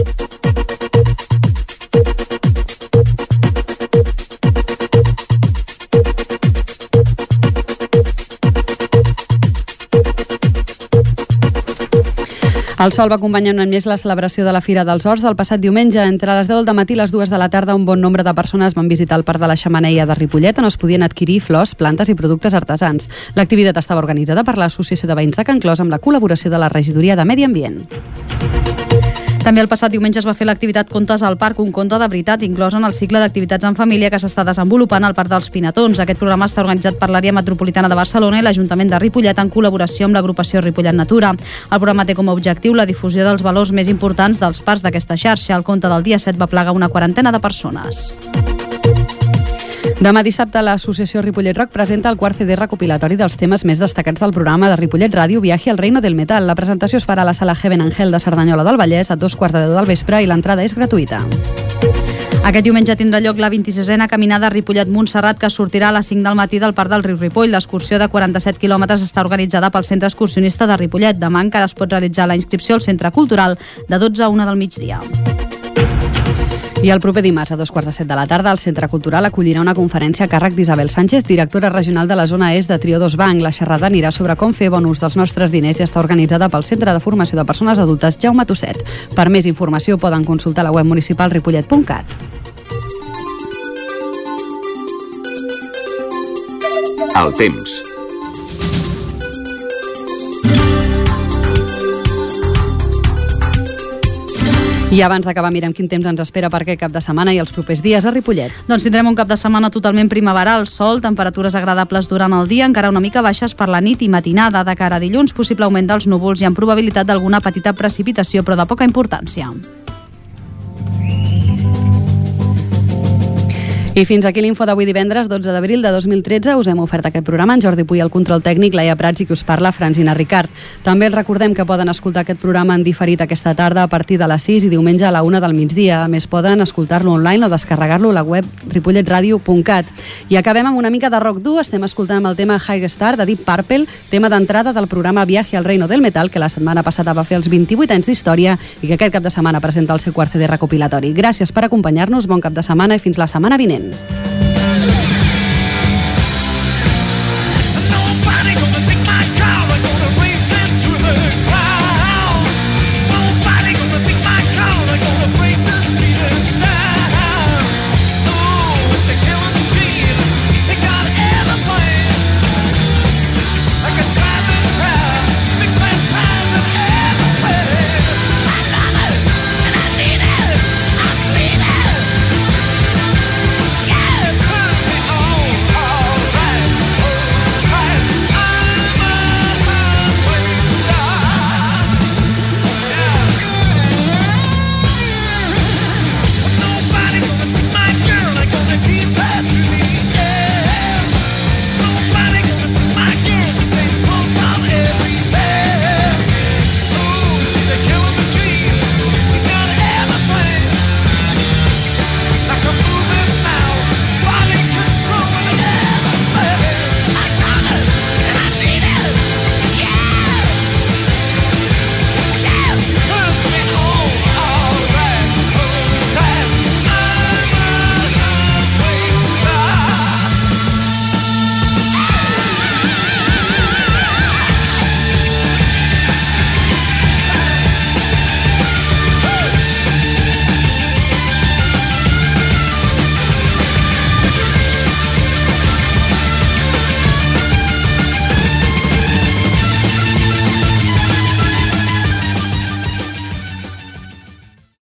El sol va acompanyar un any més la celebració de la Fira dels Horts del passat diumenge. Entre les 10 del matí i les 2 de la tarda, un bon nombre de persones van visitar el Parc de la Xemeneia de Ripollet, on es podien adquirir flors, plantes i productes artesans. L'activitat estava organitzada per l'Associació de Veïns de Can Clos amb la col·laboració de la Regidoria de Medi Ambient. També el passat diumenge es va fer l'activitat Contes al Parc, un conte de veritat inclòs en el cicle d'activitats en família que s'està desenvolupant al Parc dels Pinatons. Aquest programa està organitzat per l'Àrea Metropolitana de Barcelona i l'Ajuntament de Ripollet en col·laboració amb l'agrupació Ripollet Natura. El programa té com a objectiu la difusió dels valors més importants dels parcs d'aquesta xarxa. El conte del dia 7 va plegar una quarantena de persones. Demà dissabte l'Associació Ripollet Rock presenta el quart CD recopilatori dels temes més destacats del programa de Ripollet Ràdio, Viaje al Reino del Metal. La presentació es farà a la sala Heaven Angel de Cerdanyola del Vallès a 2:15 del vespre i l'entrada és gratuïta. Aquest diumenge tindrà lloc la 26a caminada Ripollet-Montserrat, que sortirà a les 5 del matí del Parc del Riu Ripoll. L'excursió de 47 quilòmetres està organitzada pel Centre Excursionista de Ripollet. Demà encara es pot realitzar la inscripció al Centre Cultural de 12 a 1 del migdia. I el proper dimarts a 2:15 de la tarda el Centre Cultural acollirà una conferència a càrrec d'Isabel Sánchez, directora regional de la zona est de Triodos Bank. La xerrada anirà sobre com fer bon ús dels nostres diners i està organitzada pel Centre de Formació de Persones Adultes Jaume Tosset. Per més informació poden consultar la web municipal ripollet.cat. El temps. I abans d'acabar mirem quin temps ens espera per aquest cap de setmana i els propers dies a Ripollet. Doncs tindrem un cap de setmana totalment primaveral, sol, temperatures agradables durant el dia, encara una mica baixes per la nit i matinada. De cara a dilluns, possible augment dels núvols i amb probabilitat d'alguna petita precipitació, però de poca importància. I fins aquí l'info d'avui divendres 12 d'abril de 2013. Us hem ofert aquest programa en Jordi Puy, el control tècnic, Laia Prats i qui us parla, Francina Ricard. També els recordem que poden escoltar aquest programa en diferit aquesta tarda a partir de les 6 i diumenge a la 1 del migdia. A més, poden escoltar-lo online o descarregar-lo a la web ripolletradio.cat. I acabem amb una mica de rock dur. Estem escoltant amb el tema High Star de Deep Purple, tema d'entrada del programa Viaje al Reino del Metal, que la setmana passada va fer els 28 anys d'història i que aquest cap de setmana presenta el seu quart CD recopilatori. Gràcies per acompanyar-nos, bon cap de setmana i fins la setmana vinent.